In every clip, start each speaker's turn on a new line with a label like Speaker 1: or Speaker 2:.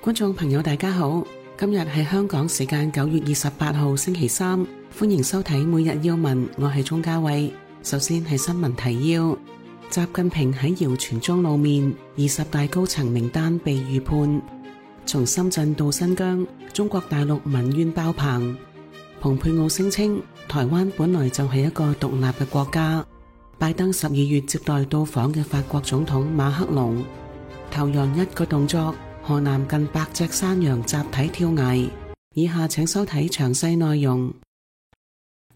Speaker 1: 觀眾朋友大家好，今日係香港時間9月28號星期三，歡迎收睇每日要聞，我係鍾嘉慧。首先係新聞提要：習近平喺謠傳中露面，20大高層名單被預判。從深圳到新疆，中國大陸民怨爆棚。蓬佩奧聲稱台灣本來就係一個獨立嘅國家。拜登12月接待到訪嘅法國總統馬克龍。頭羊一個動作，河南近100隻山羊集體跳崖。以下請收睇詳細內容。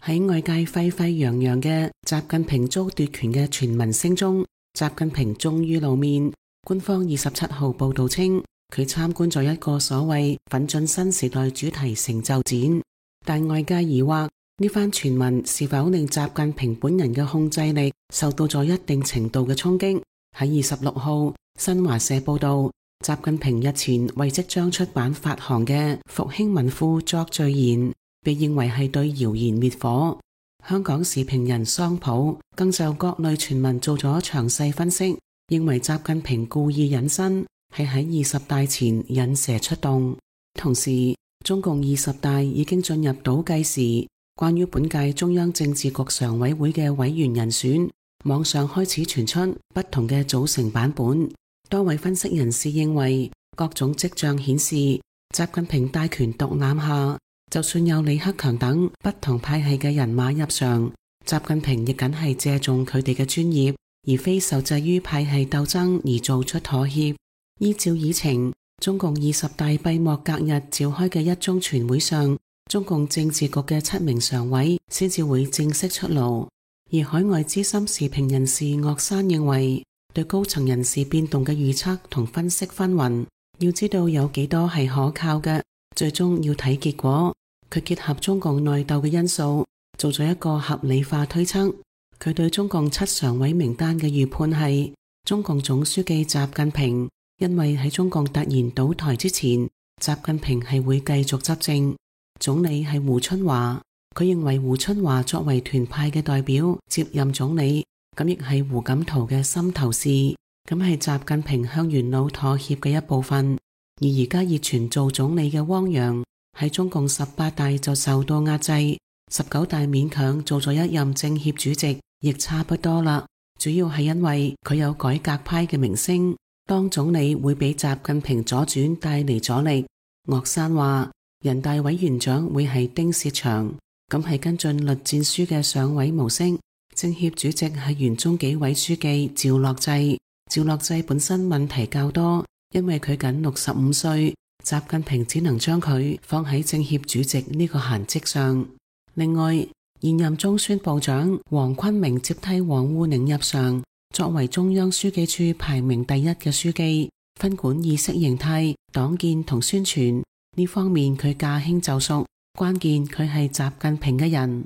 Speaker 1: 喺外界沸沸揚揚嘅習近平遭奪權嘅傳聞聲中，習近平終於露面。官方27號報道稱，佢參觀咗一個所謂奮進新時代主題成就展，但外界疑惑呢番傳聞是否令習近平本人嘅控制力受到咗一定程度嘅衝擊。喺26號，新華社報道，習近平日前為即將出版發行嘅復興文庫作序言，被認為係對謠言滅火。香港時評人桑普更就各類傳聞做咗詳細分析，認為習近平故意隱身，係喺20大前引蛇出洞。同時，中共20大已經進入倒計時，關於本屆中央政治局常委會嘅委員人選，網上開始傳出不同嘅組成版本。多位分析人士認為，各種跡象顯示，習近平大權獨攬下，就算有李克強等不同派系嘅人馬入場，習近平亦僅係借重佢哋嘅專業，而非受制於派系鬥爭而做出妥協。依照議程，中共20大閉幕隔日召開嘅一中全會上，中共政治局嘅7名常委先至會正式出爐。而海外資深時評人士岳山認為，對高層人事變動嘅預測同分析紛紜，要知道有幾多係可靠嘅，最終要睇結果。佢結合中共內鬥嘅因素，做咗一個合理化推測。佢對中共7常委名單嘅預判係，中共總書記習近平，因為喺中共突然倒台之前，習近平係會繼續執政。總理係胡春華，佢認為胡春華作為團派嘅代表接任總理，咁亦係胡錦濤嘅心頭事，咁係習近平向元老妥協嘅一部分。而而家熱傳做總理嘅汪洋，喺中共18大就受到壓制，19大勉強做咗一任政協主席，亦差不多啦。主要係因為佢有改革派嘅名聲，當總理會俾習近平左轉帶嚟阻力。岳山話，人大委員長會係丁薛祥，咁係跟進栗戰書嘅上位模式。政協主席係原中紀委書記趙樂際，趙樂際本身問題較多，因為佢僅65歲，習近平只能將佢放喺政協主席呢個閒職上。另外，現任中宣部長黃坤明接替王滬寧入常，作為中央書記處排名第1嘅書記，分管意識形態、黨建同宣傳呢方面，佢駕輕就熟。關鍵佢係習近平嘅人。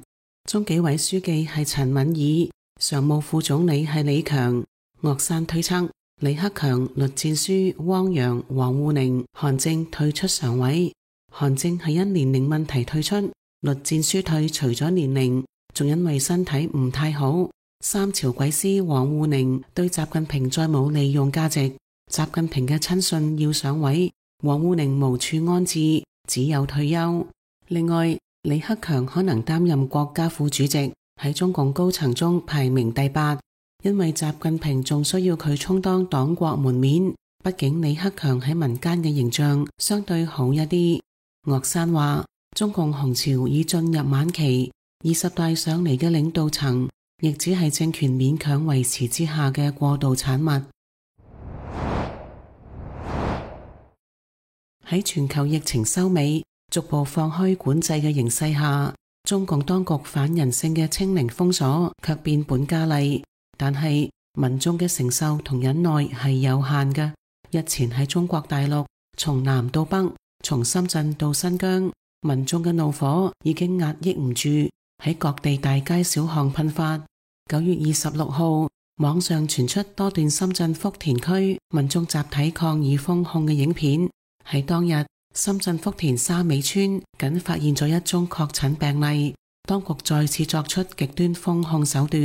Speaker 1: 中紀委書記係陳敏爾，常務副總理係李強。岳山推測，李克強、栗戰書、汪洋、王滬寧、韓正退出常委。韓正係因年齡問題退出，栗戰書退除咗年齡，仲因為身體唔太好。三朝鬼師王滬寧對習近平再冇利用價值，習近平嘅親信要上位，王滬寧無處安置，只有退休。另外，李克強可能擔任國家副主席，喺中共高層中排名第8，因為習近平仲需要佢充當黨國門面，畢竟李克強喺民間嘅形象相對好一啲。岳山話，中共洪朝已進入晚期，20大上嚟嘅領導層亦只係政權勉強維持之下嘅過渡產物。喺全球疫情收尾，逐步放開管制嘅形勢下，中共當局反人性嘅清零封鎖卻變本加厲，但係民眾嘅承受同忍耐係有限嘅。日前喺中國大陸，從南到北，從深圳到新疆，民眾嘅怒火已經壓抑唔住，喺各地大街小巷噴發。9月26號，網上傳出多段深圳福田區民眾集體抗議封控嘅影片。喺當日，深圳福田沙尾村僅發現咗1宗確診病例，當局再次作出極端封控手段，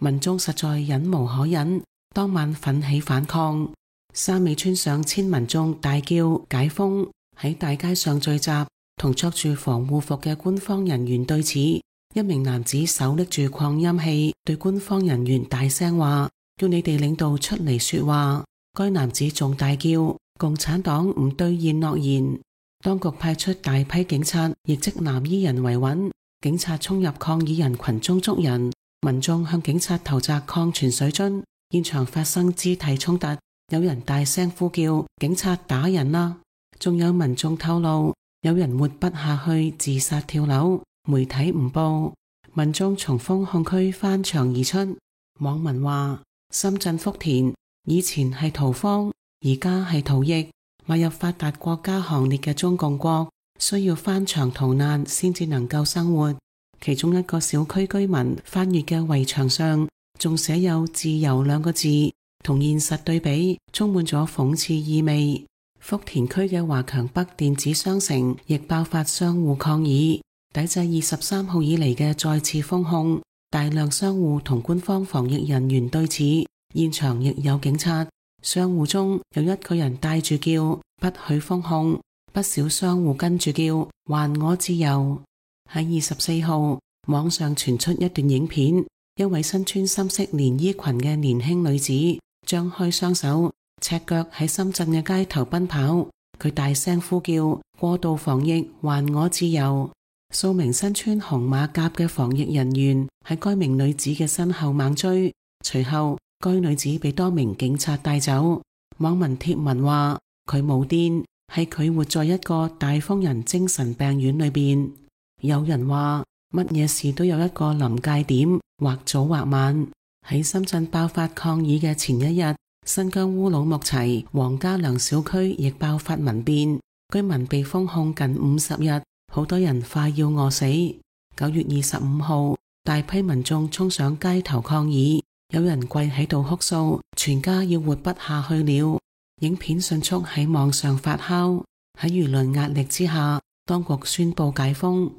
Speaker 1: 民眾實在忍無可忍，當晚奮起反抗。沙尾村上千民眾大叫解封，喺大街上聚集，同着住防護服嘅官方人員對峙。一名男子手拎住擴音器，對官方人員大聲話，叫你哋領導出嚟說話。該男子仲大叫共產黨唔兌現諾言。當局派出大批警察，亦即藍衣人維穩。警察衝入抗議人群中捉人，民眾向警察投擲礦泉水樽，現場發生肢體衝突，有人大聲呼叫警察打人啦。仲有民眾透露，有人活不下去自殺跳樓。媒體唔報，民眾從封控區翻牆而出。網民話，深圳福田以前係屠荒，而家係逃逸，邁入發達國家行列嘅中共國，需要翻牆逃難先至能夠生活。其中一個小區居民翻閱嘅圍牆上仲寫有自由兩個字，同現實對比，充滿咗諷刺意味。福田區嘅華強北電子商城亦爆發商戶抗議，抵制23號以嚟嘅再次封控，大量商戶同官方防疫人員對峙，現場亦有警察。商戶中有一個人帶住叫不許封控，不少商戶跟住叫還我自由。喺24號，網上傳出一段影片，一位身穿深色連衣裙嘅年輕女子張開雙手，赤腳喺深圳嘅街頭奔跑，佢大聲呼叫過度防疫還我自由。數名身穿紅馬甲嘅防疫人員喺該名女子嘅身後猛追，隨後該女子被多名警察帶走。網民貼文話，佢冇癲，係佢活在一個大瘋人精神病院裏邊。有人話，乜嘢事都有一個臨界點，或早或晚。喺深圳爆發抗議嘅前一日，新疆烏魯木齊黃家良小區亦爆發民變，居民被封控近50日，好多人快要餓死。9月25號，大批民眾衝上街頭抗議，有人跪喺度哭訴，全家要活不下去了。影片迅速喺網上發酵，喺輿論壓力之下，當局宣布解封。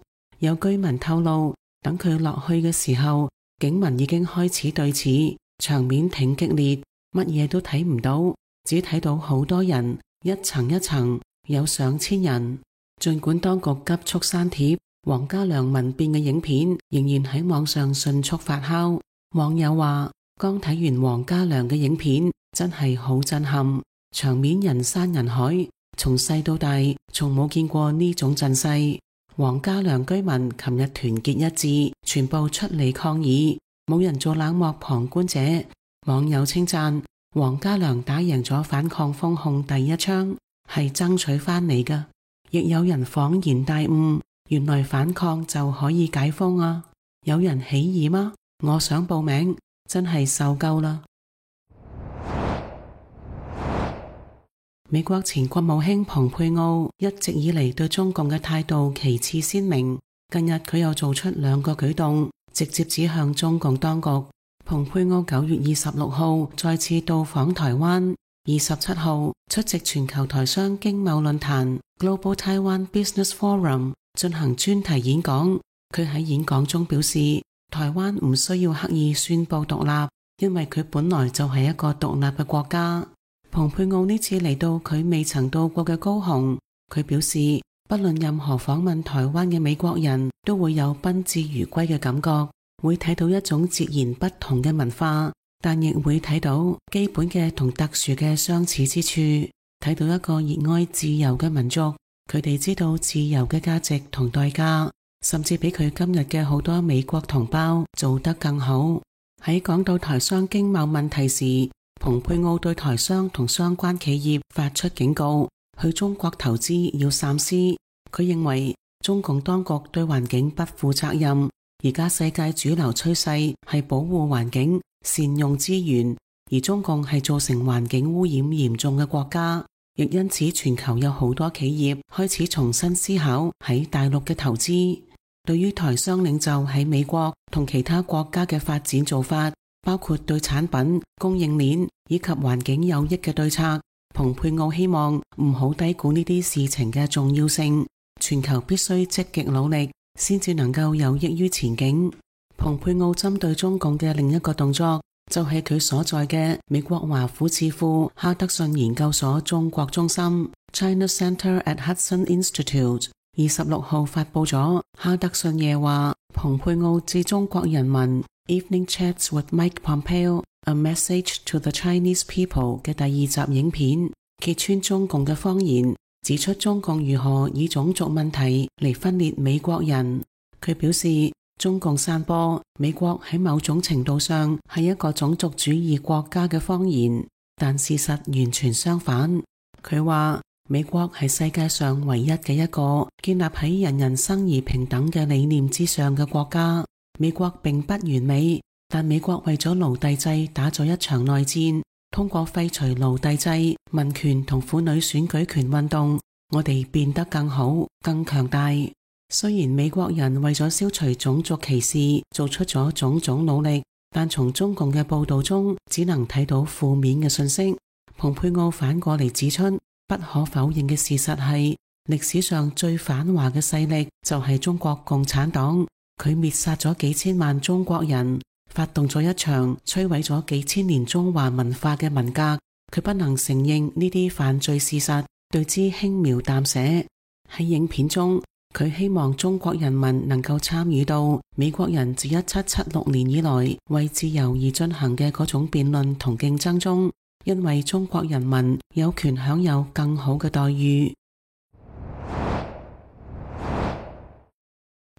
Speaker 1: 有居民透露，等佢落去嘅時候，警民已經開始對峙，場面挺激烈，乜嘢都睇唔到，只睇到好多人，一層一層，有上千人。儘管當局急速刪帖，黃家良民變嘅影片仍然喺網上迅速發酵。網友話，剛睇完黃家良嘅影片，真係好震撼，場面人山人海，從細到大，從冇見過呢種陣勢。黃家良居民琴日團結一致，全部出嚟抗議，冇人做冷漠旁觀者。網友稱讚黃家良打贏咗反抗封控第一槍，係爭取翻嚟㗎。亦有人恍然大悟，原來反抗就可以解封啊！有人起義嗎？我想報名，真係受夠啦！美國前國務卿蓬佩奧一直以嚟對中共嘅態度旗幟鮮明，近日佢又做出2個舉動，直接指向中共當局。蓬佩奧9月26號再次到訪台灣，27號出席全球台商經貿論壇 Global Taiwan Business Forum 進行專題演講。佢喺演講中表示，台灣唔需要刻意宣布獨立，因為佢本來就係一個獨立嘅國家。蓬佩奧呢次嚟到佢未曾到過嘅高雄，佢表示，不論任何訪問台灣嘅美國人都會有賓至如歸嘅感覺，會睇到一種截然不同嘅文化，但亦會睇到基本嘅同特殊嘅相似之處，睇到一個熱愛自由嘅民族，佢哋知道自由嘅價值同代價，甚至比佢今日嘅好多美國同胞做得更好。喺講到台商經貿問題時，蓬佩奧對台商同相關企業發出警告，去中國投資要三思。佢認為中共當局對環境不負責任，而家世界主流趨勢係保護環境、善用資源，而中共係造成環境污染嚴重嘅國家，亦因此全球有好多企業開始重新思考喺大陸嘅投資。對於台商領袖喺美國同其他國家嘅發展做法，包括對產品、供應鏈以及環境有益嘅對策，蓬佩奧希望唔好低估呢啲事情嘅重要性。全球必須積極努力，先至能夠有益於前景。蓬佩奧針對中共嘅另一個動作，就係佢所在嘅美國華府智庫哈德遜研究所中國中心 China Center at Hudson Institute 26號發佈咗哈德遜夜話蓬佩奧致中國人民 Evening Chats with Mike Pompeo A Message to the Chinese People 嘅第2集影片，揭穿中共嘅謊言，指出中共如何以種族問題嚟分裂美國人。佢表示中共散播美國喺某種程度上係一個種族主義國家嘅謊言，但事實完全相反。佢話美國係世界上唯一嘅一個建立喺人人生而平等嘅理念之上嘅國家。美國並不完美，但美國為咗奴隸制打咗一場內戰，通過廢除奴隸制、民權同婦女選舉權運動，我哋變得更好、更強大。雖然美國人為咗消除種族歧視做出咗種種努力，但從中共嘅報道中只能睇到負面嘅信息。蓬佩奧反過嚟指出，不可否認嘅事實係歷史上最反華嘅勢力就係中國共產黨，佢滅殺咗幾千萬中國人，發動咗一場摧毀咗幾千年中華文化嘅文革。佢不能承認呢啲犯罪事實，對之輕描淡寫。喺影片中，佢希望中國人民能夠參與到美國人自1776年以來為自由而進行嘅嗰種辯論同競爭中，因為中國人民有權享有更好嘅待遇。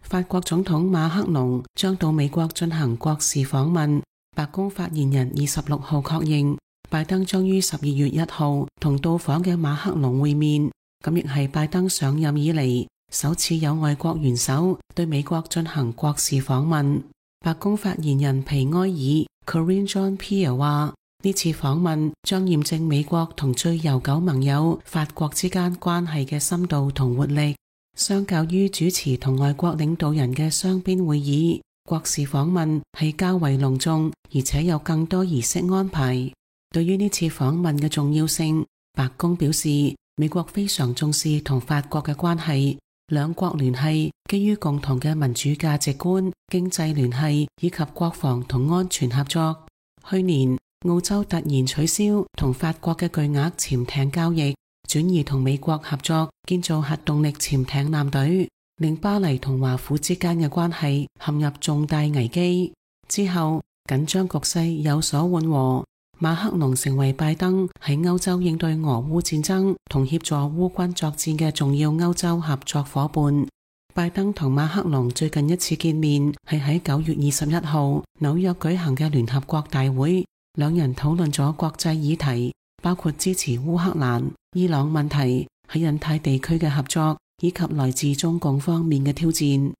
Speaker 1: 法國總統馬克龍將到美國進行國事訪問，白宮發言人26號確認，拜登將於12月1號同到訪嘅馬克龍會面，咁亦係拜登上任以嚟首次有外國元首對美國進行國事訪問。白宮發言人皮埃爾 Karine Jean-Pierre 話，呢次訪問將驗證美國同最悠久盟友法國之間關係嘅深度同活力。相較於主持同外國領導人嘅雙邊會議，國事訪問係較為隆重，而且有更多儀式安排。對於呢次訪問嘅重要性，白宮表示，美國非常重視同法國嘅關係，兩國聯繫基於共同嘅民主價值觀、經濟聯繫以及國防同安全合作。去年，澳洲突然取消同法國嘅巨額潛艇交易，轉而同美國合作建造核動力潛艇艦隊，令巴黎同華府之間嘅關係陷入重大危機。之後，緊張局勢有所緩和，馬克龍成為拜登喺歐洲應對俄烏戰爭同協助烏軍作戰嘅重要歐洲合作夥伴。拜登同馬克龍最近一次見面係喺9月21號紐約舉行嘅聯合國大會，兩人討論咗國際議題，包括支持烏克蘭、伊朗問題、喺印太地區嘅合作，以及來自中共方面嘅挑戰。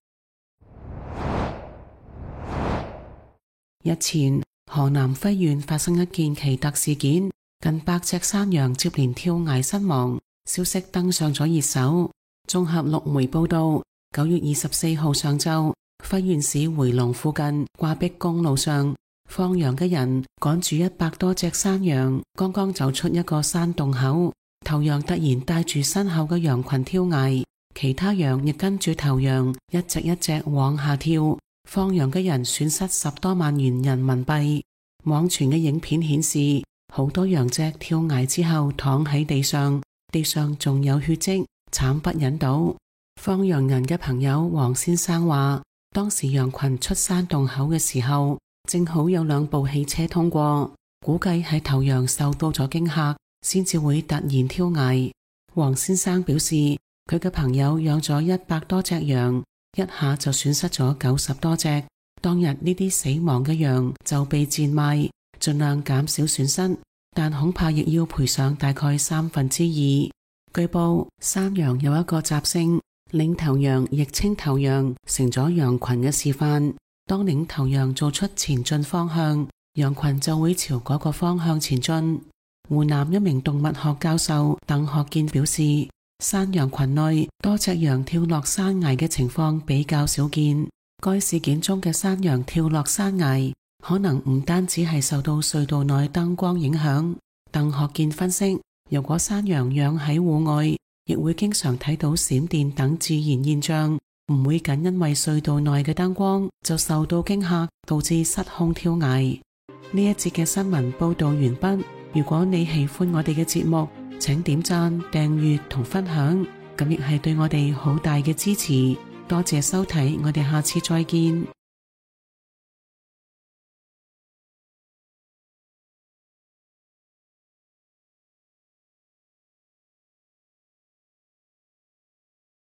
Speaker 1: 日前，河南輝縣發生一件奇特事件，近100隻山羊接連跳崖身亡，消息登上咗熱搜。綜合陸媒報道，9月24號上晝，輝縣市回龍附近掛壁公路上，放羊嘅人趕住100多隻山羊，剛剛走出一個山洞口，頭羊突然帶住身後嘅羊群跳崖，其他羊亦跟住頭羊一隻一隻往下跳，放羊嘅人損失10多萬元人民幣。網傳嘅影片顯示，好多羊隻跳崖之後躺喺地上，地上仲有血跡，慘不忍睹。放羊人嘅朋友黃先生話，當時羊群出山洞口嘅時候，正好有2部汽車通過，估計係頭羊受到咗驚嚇，先至會突然跳崖。黃先生表示，佢嘅朋友養咗100多隻羊，一下就損失咗90多隻。當日呢啲死亡嘅羊就被賤賣，盡量減少損失，但恐怕亦要賠償大概2/3。據報，山羊有一個習性，領頭羊亦稱頭羊，成咗羊群嘅示範。當領頭羊做出前進方向，羊群就會朝嗰個方向前進。湖南一名動物學教授鄧學健表示，山羊群內多隻羊跳落山崖嘅情況比較少見。該事件中嘅山羊跳落山崖，可能唔單止係受到隧道內燈光影響。鄧學健分析，如果山羊養喺戶外，亦會經常睇到閃電等自然現象，唔會僅因為隧道內嘅燈光就受到驚嚇，導致失控跳崖。呢一節嘅新聞報道完畢。如果你喜歡我哋嘅節目，請點讚、訂閱同分享，咁亦係對我哋好大嘅支持。多謝收睇，我哋下次再見。